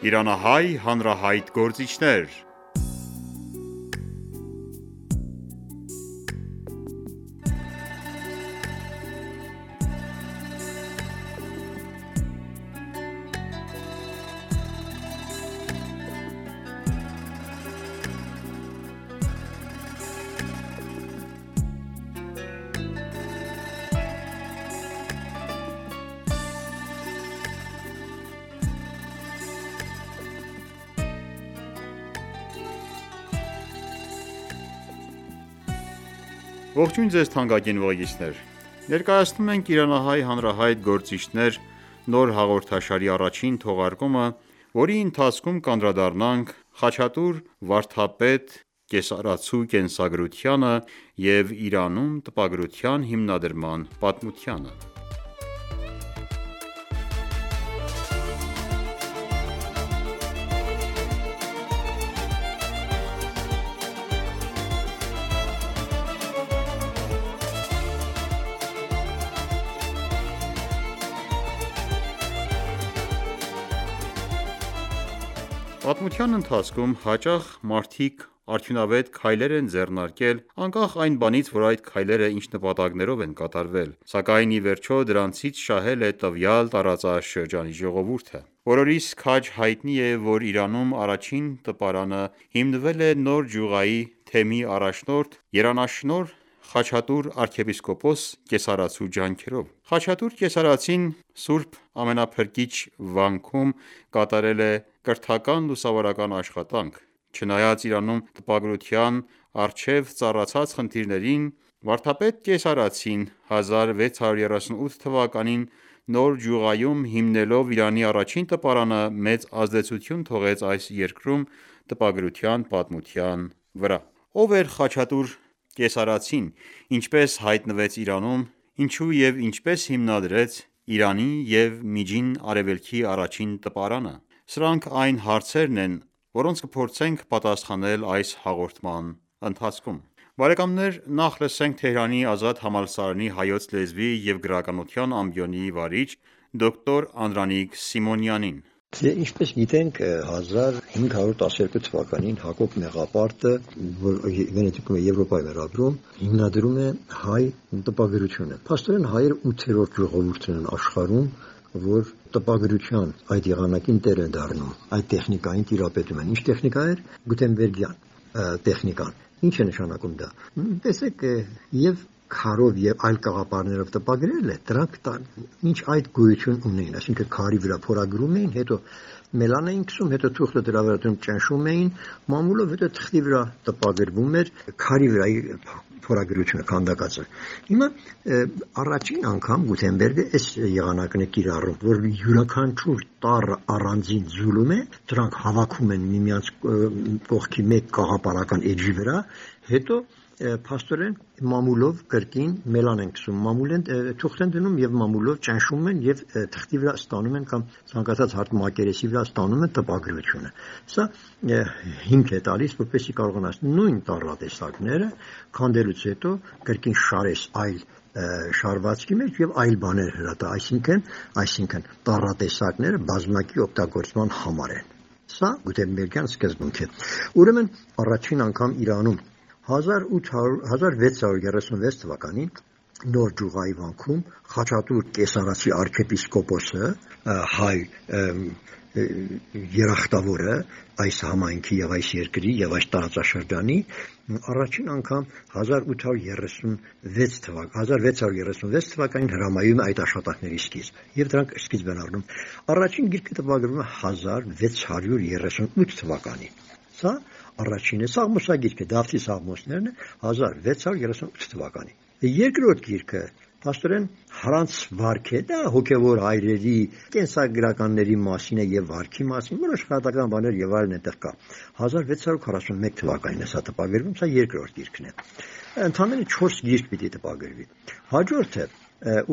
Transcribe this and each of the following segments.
Իրանահայ հանրահայտ գործիչներ։ Ողջույն ձեզ թանկագին ուղեկիցներ: Ներկայացնում ենք «Իրանահայ հանրահայտ գործիչներ» նոր հաղորդաշարի առաջին թողարկումը, որի ընթացքում կանդրադառնանք Խաչատուր վարդապետ կեսարացու կենսագրությանը և Իրանում տպագրության հիմնադրման պատմությանը։ Պատմության ընթացքում հաճախ մարդիկ արդյունավետ քայլեր են ձեռնարկել, անկախ այն բանից, որ այդ քայլերը ինչ նպատակներով են կատարվել, սակայն ի վերջո դրանցից շահել է տվյալ տարածաշրջանի ժողովուրդը։ Բոլորիս քաջ հայտնի է, որ Իրանում առաջին տպարանը հիմնվել է նոր գյուղայի թեմի առաջնորդ երանաշնորհ Խաչատուր arczepiskopos կեսարացու ջանքերով։ Խաչատուր կեսարածին Սուրբ Ամենափրկիչ վանքում կատարել է կրթական լուսավորական աշխատանք։ Չնայած Իրանում տպագրության առջև ծառացած խնդիրներին, վարդապետ կեսարածին 1638 թվականին նոր գյուղայում հիմնելով Իրանի առաջին տպարանը, մեծ ազդեցություն թողեց այս երկրում տպագրության պատմության վրա։ Ո՞վ էր Խաչատուր կեսարածին, ինչպես հայտնվեց Իրանում, ինչու և ինչպես հիմնադրեց Իրանի և Միջին Արևելքի առաջին տպարանը։ Սրանք այն հարցերն են, որոնց կփորձենք պատասխանել այս հաղորդման ընթացքում։ Նախ լսենք Թեհրանի Ազատ համալսարանի Հայոց լեզվի և գրականության ամբիոնի վարիչ դոկտոր Անդրանիկ Սիմոնյանին։ Ինչպես գիտենք, 1512 թվականին Հակոբ Մեղապարտը, որ Վենետիկում է Եվրոպայի վերաբերում, հիմնադրում է հայ տպագրությունը։ Փաստորեն հայերը 8-րդ ժողովուրդն են աշխարհում, որ տպագրության այդ եղանակին տեր են դառնում, այդ տեխնիկային տիրապետում են։ Ինչ տեխնիկա էր? Գուտենբերգյան տեխնիկան։ Ինչ է նշանակում դա? Տեսեք, եւ քարով եւ այլ կաղապարներով տպագրել է, դրանք ինչ այդ գոյություն ունեին, այսինքն քարի վրա փորագրում էին, հետո մելան էին քսում, հետո թուղթը դրա վրա ճնշում էին մամուլով, հետո թղթի վրա տպագրվում էր քարի վրայի փորագրությունը քանդակածը։ Հիմա առաջին անգամ Գուտենբերգը այս եղանակն է կիրառում, որ յուրաքանչյուր տառը առանձին ձուլում է, դրանք հավաքում են միմյանց կողքի մեկ կաղապարական էջի վրա, հետո փաստորեն մամուլով կրկին մելան են քսում, թուղթ են դնում եւ մամուլով ճնշում են եւ թղթի վրա ստանում են կամ ցանկացած հարթ մակերեսի վրա ստանում են տպագրությունը։ Սա հիմք է տալիս, որպեսզի կարողանաս նույն տառատեսակները քանդելուց հետո կրկին շարես այլ շարվածքի մեջ եւ այլ բաներ հրատա, այսինքն տառատեսակները բազմակի օգտագործման համար են։ Սա Գուտենբերգյան սկզբունք է։ Ուրեմն առաջին անգամ Իրանում 1636 թվականին նոր գյուղայի վանքում Խաչատուր կեսարացի arczepiskoposը, հայ երախտավորը այս համայնքի եւ այս երկրի եւ այս տարածաշրջանի առաջին անգամ 1636 թվականին հրամայում է այդ աշխատանքների սկիզբ եւ դրանք սկիզբ են առնում։ Առաջին գիրքը տպագրվում է 1638 թվականին։ Սա առաջինը Սաղմոսագիրքը, Դավթի Սաղմոսներն է 1638 թվականին։ Երկրորդ գիրքը փաստորեն հրանց վարք է, դա հոգևոր հայրերի կենսագրականների մասին է եւ վարքի մասին, որոշ խրատական բաներ եւ այլն այդտեղ կա։ 1641 թվականին է սա տպագրվում, սա երկրորդ գիրքն է։ Ընդհանրապես 4 գիրք պիտի տպագրվի։ Հաջորդը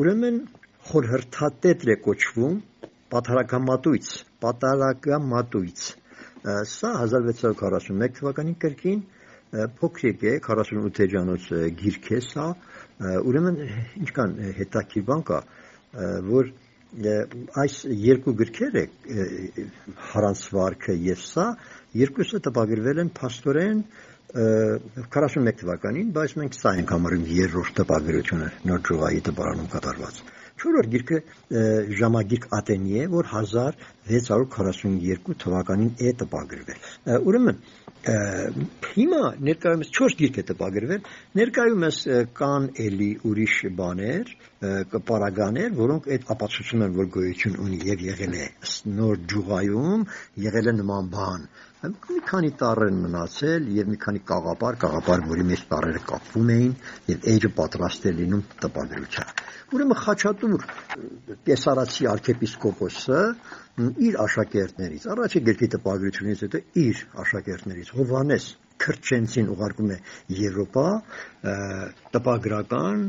ուրեմն խորհրդատետր է կոչվում Պատարագամատույց։ Սա 1641 թվականին կրկին փոքրիկ է, 48 էջանոց գիրք է սա, ուրեմն ինչքան հետաքրքիր բան կա, որ այս երկու գրքերը Հարանցվարքը եւ սա երկուսը տպագրվել են փաստորեն 41 թվականին, բայց մենք սա ենք համարում երրորդ տպագրությունը Նոր Ջուղայի տպարանում կատարված։ Չորրորդ գիրքը ժամագիրք Ատենի է, որ 1642 թվականին է տպագրվել։ Ուրեմն հիմա ներկայումս 4 գիրք է տպագրվել, ներկայումս կան էլի ուրիշ բաներ, պարագաներ, որոնք այդ ապացուցում են, որ գոյություն ունի եւ եղել է Նոր Ջուղայում, եղել է նման բան։ Մի քանի տառեր մնացել եւ մի քանի կաղապար, որի մեջ տառերը կապվում էին եւ էջը պատրաստ է լինում տպագրության։ Ուրեմն Խաչատուր կեսարացի arczepiskopos-ը իր աշակերտներից, առաջի գրքի տպագրությունից հետո իր աշակերտներից Հովհաննես Քրչենցին ուղարկում է Եվրոպա տպագրական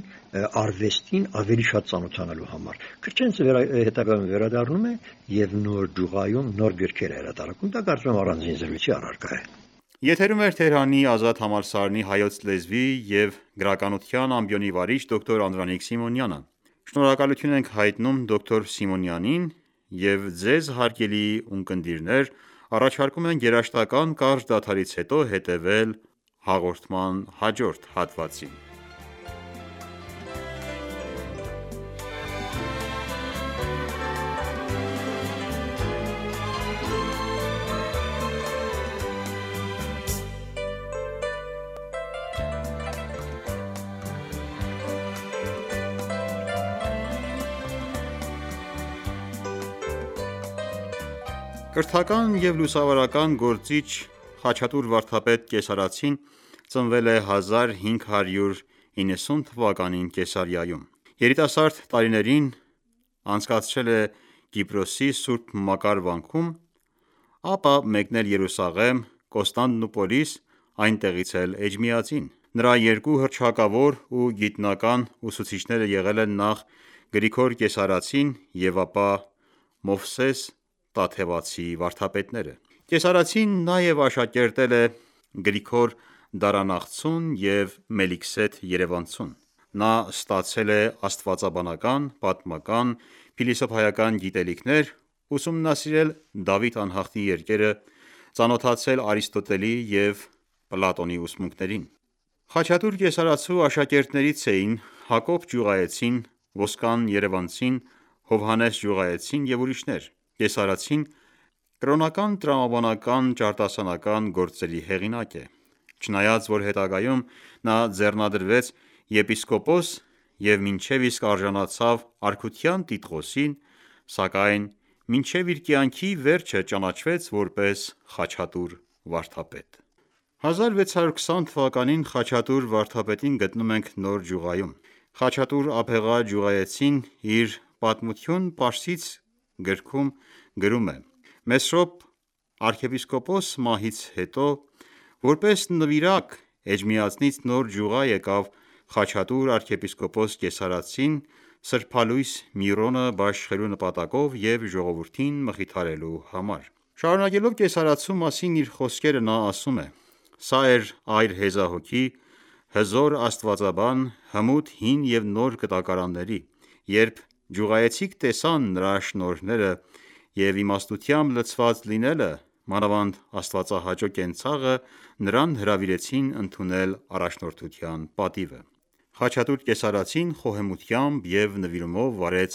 արվեստին ավելի շատ ծանոթանալու համար։ Քրչենցը հետագայում վերադառնում է եւ Նոր Ջուղայում նոր գրքեր է հրատարակում, դա կարծում եմ առանձին զրույցի առարկա է։ Եթերում էր Թեհրանի ազատ համալսարանի հայոց լեզվի եւ գրականության ամբիոնի վարիչ դոկտոր Անդրանիկ Սիմոնյանը։ Շնորհակալություն ենք հայտնում դոկտոր Սիմոնյանին եւ ձեզ հարգելի ունկնդիրներ, առաջարկում ենք երաժշտական կարճ դադարից հետո հետևել հաղորդման հաջորդ հատվածին։ Կրթական և լուսավարական գործիչ Խաչատուր վարդապետ Կեսարացին ծնվել է 1590 թվականին Կեսարիայում։ Երիտասարդ տարիներին անցկացրել է Կիպրոսի Սուրբ Մակար վանքում, ապա մեկնել Երուսաղեմ, Կոստանդնուպոլիս, այնտեղից էլ Էջմիածին։ Նրա երկու հռչակավոր ու գիտնական ուսուցիչները եղել են նախ Գրիգոր Կեսարացին և ապա Մովսես Տաթևացի վարդապետները։ Կեսարացին նաև աշակերտել է Գրիգոր Դարանաղցուն և Մելիքսեթ Երևանցուն։ Նա ստացել է աստվածաբանական, պատմական, փիլիսոփայական գիտելիքներ, ուսումնասիրել Դավիթ անհախտի երկերը, ծանոթացել Արիստոտելի և Պլատոնի ուսմունքներին։ Խաչատուր Կեսարացու աշակերտներից էին Հակոբ Ջուղայեցին, Ոսկան Երևանցին, Հովհաննես Ջուղայեցին և ուրիշներ։ Կեսարացին կրոնական տրամաբանական ճարտասանական գործերի հեղինակ է։ Չնայած որ հետագայում նա ձեռնադրվեց եպիսկոպոս և մինչև իսկ արժանացավ արքության տիտղոսին, սակայն մինչև իր կյանքի վերջը ճանաչվեց որպես Խաչատուր վարդապետ։ 1620 թվականին Խաչատուր վարդապետին գտնում ենք Նոր Ջուղայում։ Խաչատուր Աբեղա Ջուղայեցին իր «Պատմություն Պարսից» գրքում գրում է. Մեսրոպ arczepiskopos մահից հետո որպես նվիրակ Էջմիածնից Նոր Ջուղա եկավ Խաչատուր arczepiskopos Կեսարացին սրբալույս Միրոնը բաշխելու նպատակով և ժողովրդին մխիթարելու համար։ Շարունակելով Կեսարացու մասին իր խոսքերը նա ասում է. «Սա էր այր հեզահոգի, հզոր աստվածաբան, հմուտ հին և նոր գտակարանների։ Երբ ջուղայեցիք տեսան նրա շնորհները և իմաստությամբ լցված լինելը, մանավանդ աստվածահաճո կենցաղը, նրան հրավիրեցին ընդունել առաջնորդության պատիվը»։ Խաչատուր Կեսարացին խոհեմությամբ և նվիրումով վարեց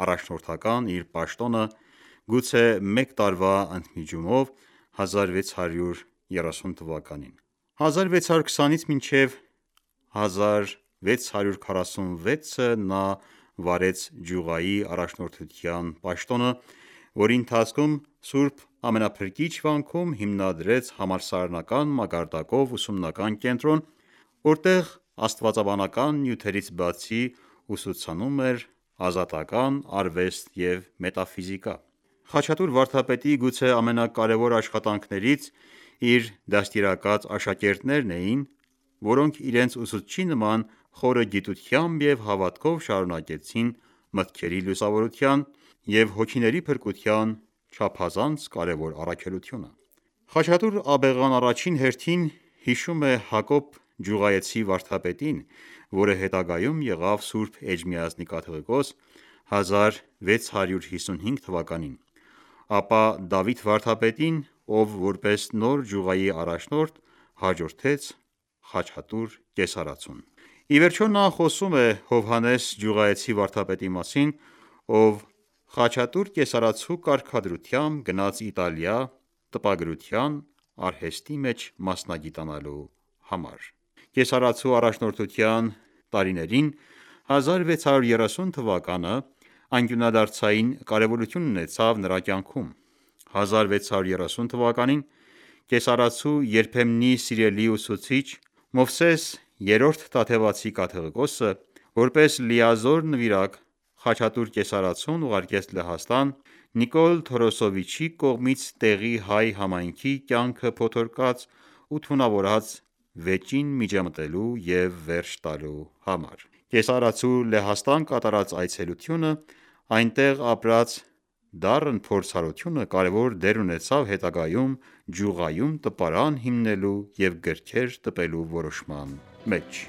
առաջնորդական իր պաշտոնը, գուցե մեկ տարվա ընդմիջումով 1630 թվականին։ 1620-ից մինչև 1646-ը նա վարեց Ջուղայի առաջնորդության պաշտոնը, որի ընթացքում Սուրբ Ամենափրկիչ վանքում հիմնադրեց համալսարանական մակարդակով ուսումնական կենտրոն, որտեղ աստվածաբանական նյութերից բացի ուսուցանում էր ազատական արվեստ և մետաֆիզիկա։ Խաչատուր վարդապետի գուցե ամենակարևոր աշխատանքներից իր դաստիարակած աշակերտներն էին, որոնք իրենց ուսուցչի նման խորը գիտությամբ և հավատքով շարունակեցին մտքերի լուսավորության և հոգիների փրկության չափազանց կարևոր առաքելությունը։ Խաչատուր Աբեղան առաջին հերթին հիշում է Հակոբ Ջուղայեցի վարդապետին, որը հետագայում եղավ Սուրբ Էջմիածնի կաթողիկոս, 1655 թվականին, ապա Դավիթ վարդապետին, ով որպես նոր ջուղայի առաջնորդ հաջորդեց Խաչատուր կեսարածուն։ Ի վերջո նա խոսում է Հովհաննես ջուղայեցի վարդապետի մասին, ով Խաչատուր կեսարածու կարգադրությամբ գնաց Իտալիա տպագրության արհեստի մեջ մասնագիտանալու համար։ Կեսարածու առաջնորդության տարիներին 1630 թվականը անկյունադարձային կարևորություն ունեցավ նրա կյանքում։ 1630 թվականին կեսարածու երբեմնի սիրելի ուսուցիչ Մովսես III Թադևացի կաթողիկոսը, որպես լիազոր նվիրակ Խաչատուր կեսարածուն ուղարկեց Լեհաստան Նիկոլ Թորոսովիչի կողմից տեղի հայ համայնքի կյանքը փոթորկած ու թունավորած վեճին միջամտելու և վերջ տալու համար։ Կեսարածու Լեհաստան կատարած այցելությունը, այնտեղ ապրած դառն փորձառությունը կարևոր դեր ունեցավ հետագայում ջուղայում տպարան հիմնելու և գրքեր տպելու որոշման մեջ։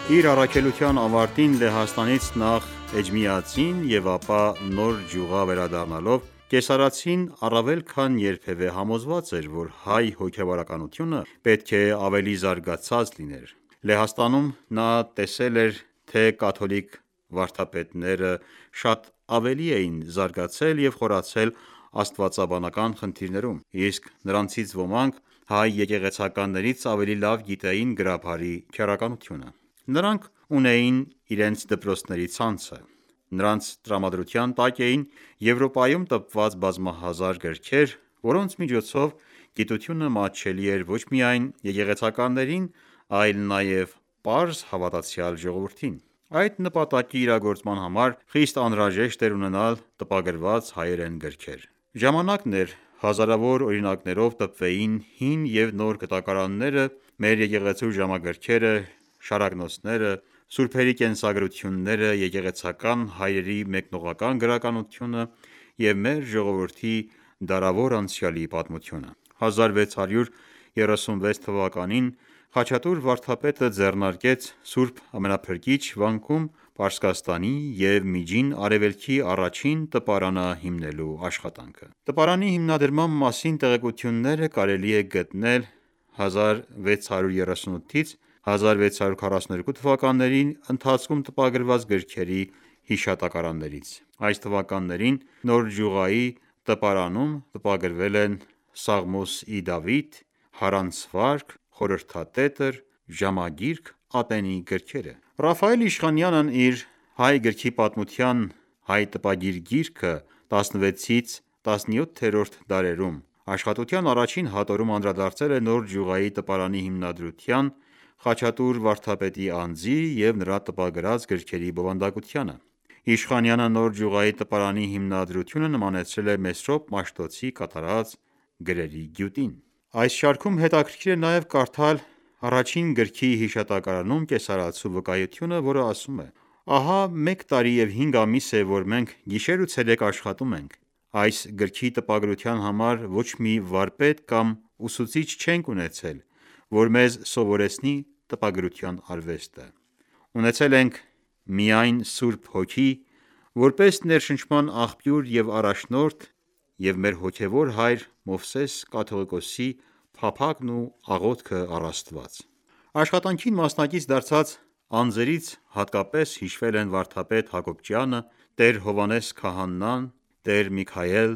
Իր առաքելության ավարտին Լեհաստանից նախ Էջմիածին և ապա նոր ջուղա վերադառնալով կեսարածին առավել քան երբևէ համոզված էր, որ հայ հոգևորականությունը պետք է ավելի զարգացած լիներ։ Լեհաստանում նա տեսել էր, թե կաթոլիկ վարդապետները շատ ավելի էին զարգացել և խորացել աստվածաբանական խնդիրներում, իսկ նրանցից ոմանք հայ եկեղեցականներից ավելի լավ գիտեին գրաբարի քերականությունը։ Նրանք ունեին իրենց դպրոցների ցանցը։ Նրանց տրամադրության տակ էին Եվրոպայում տպված բազմահազար գրքեր, որոնց միջոցով գիտությունը մատչելի էր ոչ միայն եկեղեցականներին, այլ նաև պարզ հավատացյալ ժողովրդին։ Այդ նպատակի իրագործման համար խիստ անհրաժեշտ էր ունենալ տպագրված հայերեն գրքեր։ Ժամանակն էր հազարավոր օրինակներով տպվեին հին և նոր գտակարանները, մեր եկեղեցու ժամագրքերը, շարակնոցները, սուրբերի կենսագրությունները, եկեղեցական հայրերի մեկնողական գրականությունը և մեր ժողովրդի դարավոր անցյալի պատմությունը։ 1636 թվականին Խաչատուր վարդապետը ձեռնարկեց Սուրբ Ամենափրկիչ վանքում Պարսկաստանի և Միջին Արևելքի առաջին տպարանը հիմնելու աշխատանքը։ Տպարանի հիմնադրման մասին տեղեկությունները կարելի է գտնել 1638-ից 1642 թվականների ընթացքում տպագրված գրքերի հիշատակարաններից։ Այս թվականներին նոր ջուղայի տպարանում տպագրվել են Սաղմոս ի Դավիթ, Հարանցվարգ, Խորհրդատետր, Ժամագիրք, ատենի գրքերը։ Ռաֆայել Իշխանյանն իր «Հայ գրքի պատմության հայ տպագիր գիրքը 16-17-րդ դարերում» աշխատության առաջին հատորում անդրադարձել է նոր ջուղայի տպարանի հիմնադրության, Խաչատուր վարդապետի անձի և նրա տպագրած գրքերի բովանդակությանը։ Իշխանյանը նոր ջուղայի տպարանի հիմնադրությունը նմանեցրել է Մեսրոպ Մաշտոցի կատարած գրերի գյուտին։ Այս շարքում հետաքրքիր է նաև կարդալ առաջին գրքի հիշատակարանում կեսարածու վկայությունը, որը ասում է. «Ահա 1 տարի և 5 ամիս է, որ մենք գիշեր ու ցերեկ աշխատում ենք։ Այս գրքի տպագրության համար ոչ մի վարպետ կամ ուսուցիչ չենք ունեցել, որ մեզ սովորեցնի տպագրության արվեստը։ Ունեցել ենք միայն Սուրբ Հոգի, որպես ներշնչման աղբյուր և առաջնորդ և մեր հոգևոր հայր Մովսես կաթողիկոսի փափագն ու աղոթքը առ Աստված»։ Աշխատանքին մասնակից դարձած անձերից հատկապես հիշվել են վարդապետ Հակոբյանը, տեր Հովհաննես քահանան, տեր Միքայել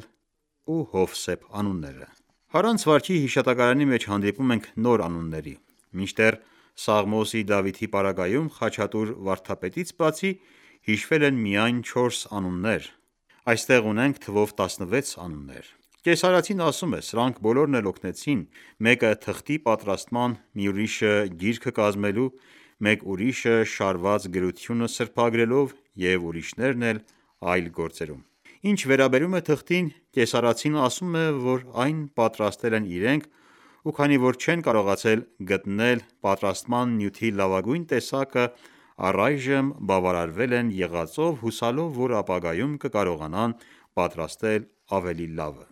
ու Հովսեփ անունները։ Հարանցվարգի հիշատակարանի մեջ հանդիպում ենք նոր անունների։ Մինչդեռ Սաղմոս ի Դավիթի պարագայում Խաչատուր վարդապետից բացի հիշվել են միայն 4 անուններ, այստեղ ունենք թվով 16 անուններ։ Կեսարացին ասում է. «Սրանք բոլորն էլ օգնեցին, մեկը թղթի պատրաստման, մի ուրիշը գիրքը կազմելու, մեկ ուրիշը շարված գրությունը սրբագրելով և ուրիշներն էլ այլ գործերում»։ Ինչ վերաբերում է թղթին, կեսարացին ասում է, որ այն պատրաստել են իրենք, ու քանի որ չեն կարողացել գտնել պատրաստման նյութի լավագույն տեսակը, առայժմ բավարարվել են եղածով, հուսալով, որ ապագայում կկարողանան պատրաստել ավելի լավը։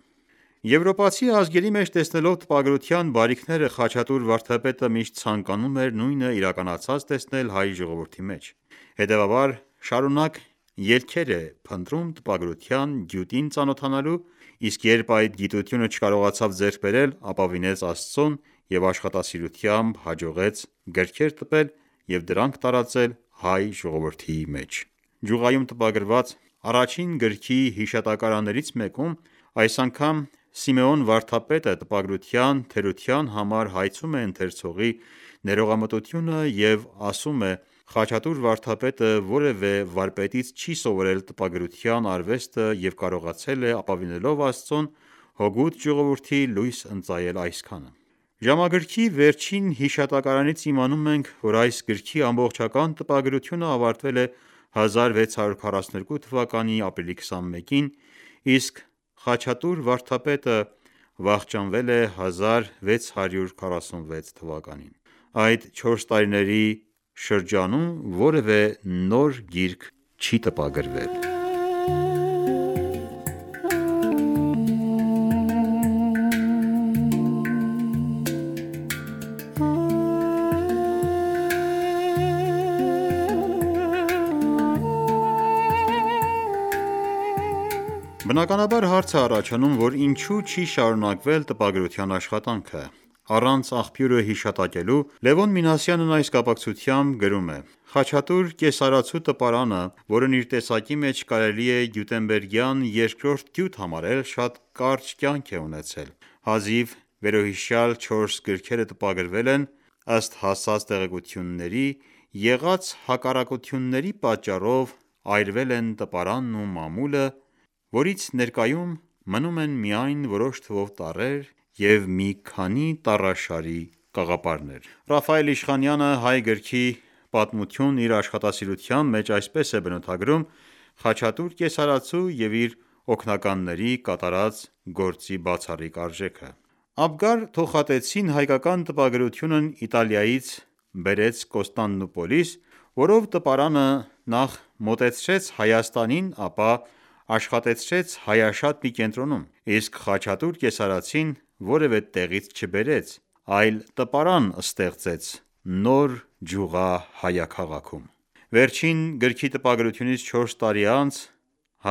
Եվրոպացի ազգերի մեջ տեսնելով տպագրության բարիքները, Խաչատուր վարդապետը միշտ ցանկանում էր նույնը իրականացած տեսնել հայ ժողովրդի մեջ։ Հետևաբար, շարունակ ելքեր է փնտրում տպագրության գյուտին ծանոթանալու, իսկ երբ այդ գիտությունը չկարողացավ ձեռք բերել, ապավինեց Աստծուն և աշխատասիրությամբ հաջողեց գրքեր տպել և դրանք տարածել հայ ժողովրդի մեջ։ Ջուղայում տպագրված առաջին գրքի հիշատակարաններից մեկում այս անգամ Սիմեոն վարդապետը տպագրության թերության համար հայցում է ընթերցողի ներողամտությունը և ասում է. «Խաչատուր վարդապետը որևէ վարպետից չի սովորել տպագրության արվեստը և կարողացել է ապավինելով Աստծուն, հօգուտ ժողովրդի լույս ընծայել այսքանը»։ Ժամագրքի վերջին հիշատակարանից իմանում ենք, որ այս գրքի ամբողջական տպագրությունը ավարտվել է 1642 թվականի ապրիլի 21-ին, իսկ Խաչատուր վարդապետը վախճանվել է 1646 թվականին։ Այդ 4 տարիների շրջանում որևէ նոր գիրք չի տպագրվել։ Բնականաբար հարց է առաջանում, որ ինչու չի շարունակվել տպագրության աշխատանքը։ Առանց աղբյուրը հիշատակելու Լևոն Մինասյանն այս կապակցությամբ գրում է. «Խաչատուր կեսարացու տպարանը, որն իր տեսակի մեջ կարելի է գյուտենբերգյան երկրորդ գյուտ համարել, շատ կարճ կյանք է ունեցել։ Հազիվ վերոհիշյալ 4 գրքերը տպագրվել են, ըստ հասած տեղեկությունների, եղած հակառակությունների պատճառով այրվել են տպարանն ու մամուլը, որից ներկայում մնում են միայն որոշ թվով տառեր և մի քանի տառաշարի կաղապարներ»։ Ռաֆայել Իշխանյանը «Հայ գրքի պատմություն» իր աշխատասիրության մեջ այսպես է բնութագրում Խաչատուր կեսարացու և իր օգնականների կատարած գործի բացառիկ արժեքը։ Աբգար Թոխատեցին հայկական տպագրությունն Իտալիայից բերեց Կոստանդնուպոլիս, որով տպարանը նախ մոտեցրեց Հայաստանին, ապա աշխատեցրեց Հայաշատ մի կենտրոնում, իսկ Խաչատուր կեսարացին որևէ տեղից չբերեց, այլ տպարան ստեղծեց նոր ջուղա հայաքաղաքում։ Վերջին գրքի տպագրությունից 4 տարի անց,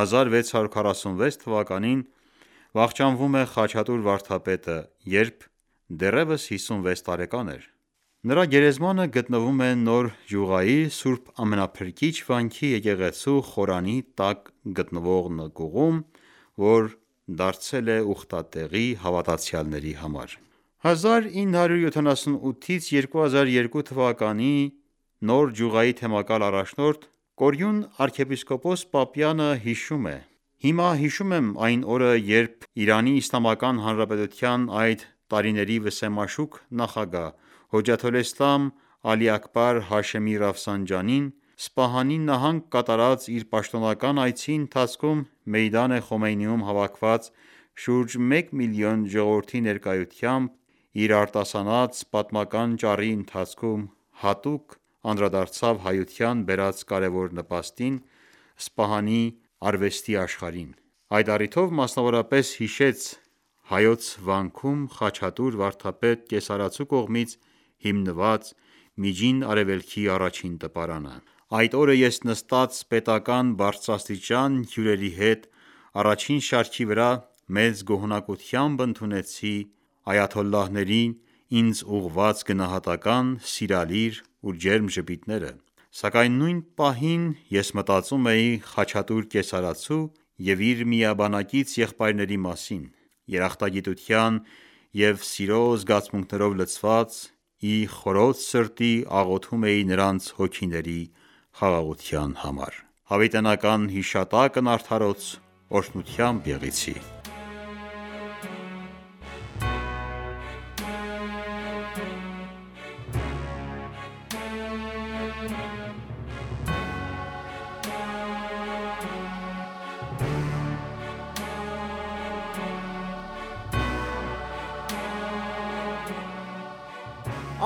1646 թվականին, վախճանվում է Խաչատուր վարդապետը, երբ դեռևս 56 տարեկան էր։ Նրա գերեզմանը գտնվում է Նոր Ջուղայի Սուրբ Ամենափրկիչ վանքի եկեղեցու խորանի տակ գտնվող նկուղում, որ դարձել է ուխտատեղի հավատացյալների համար։ 1978-ից 2002 թվականի Նոր Ջուղայի թեմակալ առաջնորդ Կորյուն arczepiskopos Պապյանը հիշում է. «Հիմա հիշում եմ այն օրը, երբ ԻԻՀ այդ տարիների վսեմաշուք նախագահ Հոջաթոլէսլամ Ալի Աքբար Հաշեմի Ռաֆսանջանին Սպահանի նահանգ կատարած իր պաշտոնական այցի ընթացքում Մեյդան Խոմեյնիում հավաքված շուրջ 1 միլիոն ժողովրդի ներկայությամբ իր արտասանած պատմական ճառի ընթացքում հատուկ անդրադարձավ հայության բերած կարևոր նպաստին Սպահանի արվեստի աշխարհին։ Այդ առիթով մասնավորապես հիշեց Հայոց վանքում Խաչատուր վարդապետ կեսարացու կողմից հիմնված Միջին Արևելքի առաջին տպարանը։ Այդ օրը ես նստած պետական բարձրաստիճան հյուրերի հետ առաջին շարքի վրա մեծ գոհունակությամբ ընդունեցի այաթոլլահների ինձ ուղղված գնահատական, սիրալիր ու ջերմ ժպիտները։ Սակայն նույն պահին ես մտածում էի Խաչատուր կեսարացու և իր միաբանակից եղբայրների մասին։ Երախտագիտության և սիրո զգացմունքներով լցված, ի խորոց սրտի աղոթում էի նրանց հոգիների խաղաղության համար»։ Հավիտենական հիշատակն արդարոց օրհնությամբ եղիցի: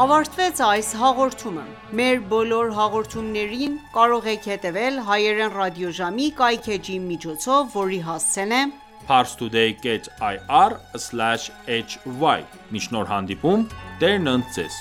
Ավարտվեց այս հաղորդումը: Մեր բոլոր հաղորդումներին կարող եք հետևել հայերեն ռադիոժամի կայքէջի միջոցով, որի հասցեն է parstoday.ir/hy: Մինչ նոր հանդիպում, Տերն ընդ Ձեզ: